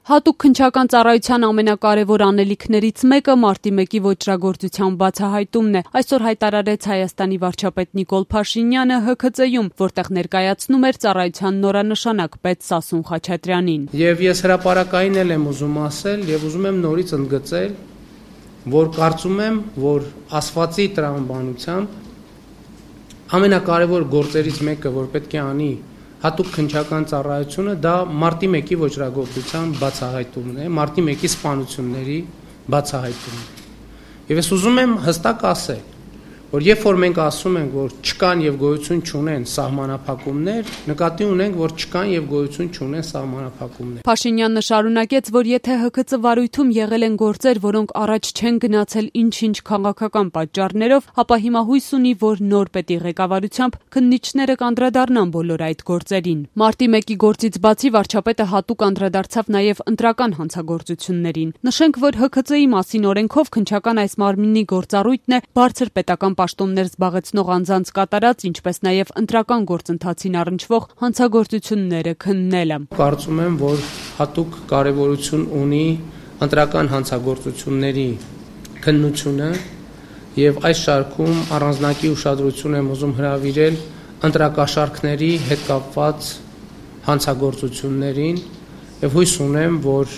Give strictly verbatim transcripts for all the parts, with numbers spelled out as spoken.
Հատուկ քննչական ծառայության ամենակարևոր անելիքներից մեկը մարտի մեկի ոճրագործության բացահայտումն է։ Այսօր հայտարարեց Հայաստանի վարչապետ Նիկոլ Փաշինյանը Հ K Ծ-ում, որտեղ ներկայացնում էր ծառայության նորանշանակ պետ Սասուն Խաչատրյանին։ Եվ ես հրապարակային էլ եմ ուզում ասել եւ ուզում եմ նորից ընդգծել, որ կարծում եմ, որ ասվածի տրամաբանությամբ ամենակարևոր գործերից մեկը, որ պետք է անի հատուկ քննչական ծառայությունը, դա մարտի մեկի ոճրագործության բացահայտումն է, մարտի մեկի սպանությունների բացահայտումն է։ Եվ ես ուզում եմ հստակ ասել, որ երբ որ մենք ասում ենք, որ չկան եւ գոյություն չունեն սահմանափակումներ, նկատի ունենք, որ չկան եւ գոյություն չունեն սահմանափակումներ։ Փաշինյանը շարունակեց, որ եթե Հ K Ծ վարույթում եղել են գործեր, որոնք առաջ չեն գնացել ինչ-ինչ քաղաքական պատճառներով, ապա հիմա հույս ունի, որ նոր պետի ղեկավարությամբ քննիչները կանդրադառնան բոլոր այդ գործերին։ Մարտի մեկի գործից բացի վարչապետը հատուկ անդրադարձավ նաեւ ընտրական հանցագործություններին։ Նշենք, որ Հ K Ծ-ի մասին օրենքով քննչական այս մարմնի գործառույթն է բարձր պետական պաշտոններ զբաղեցնող անձանց կատարած, ինչպես նաև ընտրական գործընթացին առնչվող հանցագործությունները քննելը։ Կարծում եմ, որ հատուկ կարևորություն ունի ընտրական հանցագործությունների քննությունը եւ այս շարքում առանձնակի ուշադրություն եմ ուզում հրավիրել ընտրակաշառքների հետ կապված հանցագործություններին եւ հույս ունեմ, որ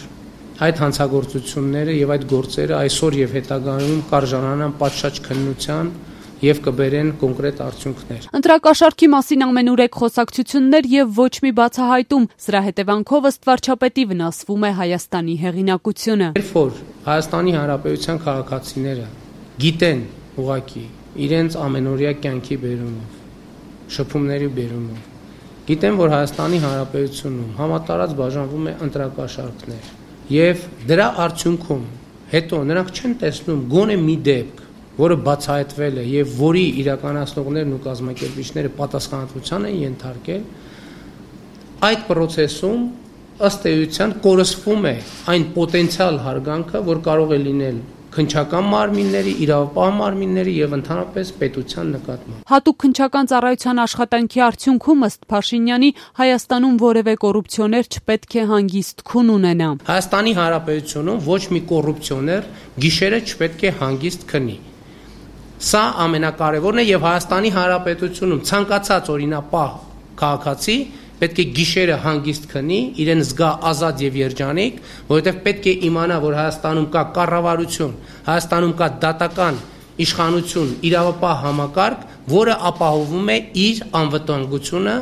այդ հանցագործությունները եւ այդ գործերը այսօր եւ հետագայում կարժանանան պատշաճ քննության եւ կբերեն կոնկրետ արդյունքներ։ Ընտրակաշառքի մասին ամենուրեք խոսակցություններ եւ ոչ մի բացահայտում, սրա հետևանքով ըստ վարչապետի վնասվում է Հայաստանի հեղինակությունը։ Երբ որ Հայաստանի Հանրապետության քաղաքացիները գիտեն ուղղակի իրենց ամենօրյա կյանքի բերումով, շփումների բերումով, գիտեն, որ Հայաստանի Հանրապետությունում համատարած բաժանվում է ընտրակաշառքներ եւ դրա արդյունքում հետո նրանք չեն տեսնում գոնե մի դեպք, որը բացահայտվել է եւ որի իրականացնողներն ու կազմակերպիչները պատասխանատվության են ենթարկել, այդ process-ում ըստ էության կորսվում է այն պոտենցիալ հարգանքը, որ կարող է լինել քննչական մարմինների, իրավապահ մարմինների եւ ընդհանրապես պետության նկատմամբ։ Հատուկ քննչական ծառայության աշխատանքի արդյունքում ըստ Փաշինյանի Հայաստանում որևէ կոռուպցիոներ չպետք է հանգիստ քուն ունենա։ Հայաստանի Հանրապետությունում ոչ մի կոռուպցիոներ գիշերը չպետք է հանգիստ քնի։ Սա ամենակարևորն է եւ Հայաստանի Հանրապետությունում ցանկացած օրինապահ քաղաքացի պետք է գիշերը հանգիստ քնի, իրեն զգա ազատ եւ երջանիկ, որովհետեւ պետք է իմանա, որ Հայաստանում կա կառավարություն, Հայաստանում կա դատական իշխանություն, իրավապահ համակարգ, որը ապահովում է իր անվտանգությունը,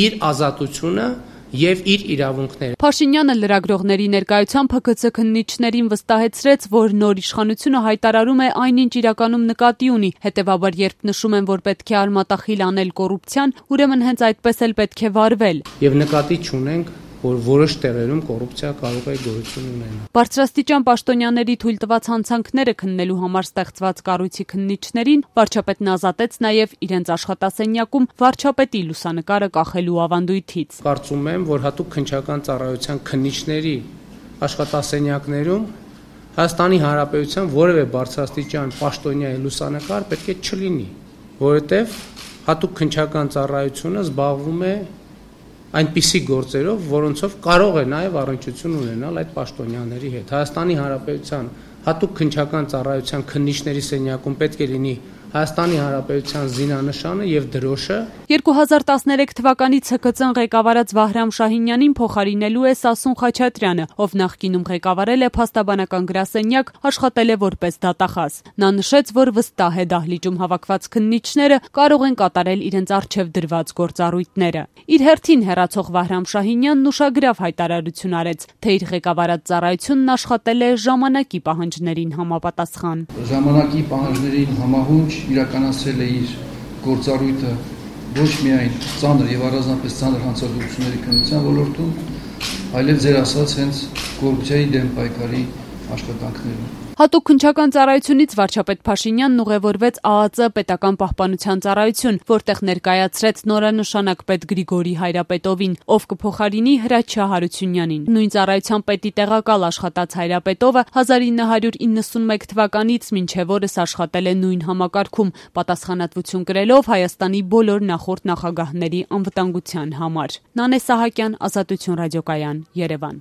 իր ազատությունը եւ իր իրավունքները։ Փաշինյանը լրագրողների ներկայությամբ Հ K Ծ քննիչներին վստահեցրեց, որ նոր իշխանությունը հայտարարում է այնինչ իրականում նկատի ունի, հետեւաբար երբ նշում են, որ պետք է արմատախիլ անել կոռուպցիան, ուրեմն հենց այդպես էլ պետք է վարվել։ Եվ նկատի չունենք, որ որոշ տեղերում կոռուպցիա կարող է գոյություն ունենալ։ Բարձրաստիճան պաշտոնյաների թույլ տված հանցանքները քննելու համար ստեղծված կառույցի քննիչներին վարչապետն ազատեց նաև իրենց աշխատասենյակում վարչապետի լուսանկարը կախելու ավանդույթից։ Կարծում եմ, որ հատուկ քննչական ծառայության քննիչների աշխատասենյակներում Հայաստանի Հանրապետության որևէ բարձրաստիճան պաշտոնյայի լուսանկար պետք է չլինի, որովհետև հատուկ քննչական ծառայությունը զբաղվում է այնպիսի գործերով, որոնցով կարող է նաև առնչություն ունենալ այդ պաշտոնյաների հետ։ Հայաստանի Հանրապետության հատուկ քննչական ծառայության քննիչների սենյակում պետք է լինի Հայաստանի Հանրապետության զինանշանը եւ դրոշը։ երկու հազար տասներեք թվականից Հ K Ծ-ն ղեկավարած Վահրամ Շահինյանին փոխարինելու է Սասուն Խաչատրյանը, ով նախկինում ղեկավարել է փաստաբանական գրասենյակ, աշխատել է որպես դատախազ։ Նա նշեց, որ վստահ է դահլիճում հավաքված քննիչները կարող են կատարել իրենց առջև դրված գործառույթները։ Իր հերթին հեռացող Վահրամ Շահինյանն ուշագրավ հայտարարություն արեց, թե իր ղեկավարած ծառայությունն աշխատել է ժամանակի պահանջներին համապատասխան։ Ժամանակի պահանջներին համահունչ իրականացրել է իր գործառույթը ոչ միայն ծանր եւ առանձնապես ծանր հանցագործությունների քննության ոլորտում, այլև ձեր ասած հենց կոռուպցիայի դեմ պայքարի աշխատանքներում։ Հատուկ քննչական ծառայությունից վարչապետ Փաշինյանն ուղևորվեց Ա Ա Ծ պետական պահպանության ծառայություն, որտեղ ներկայացրեց նորանշանակ պետ Գրիգորի Հայրապետովին, ով կփոխարինի Հրաչյա Հարությունյանին։ Նույն ծառայության պետի տեղակալ աշխատած Հայրապետովը հազար ինը հարյուր իննսունմեկ թվականից մինչև օրս աշխատել է նույն համակարգում, պատասխանատվություն կրելով Հայաստանի բոլոր նախորդ նախագահների անվտանգության համար։ Նանե Սահակյան, Ազատություն ռադիոկայան, Երևան։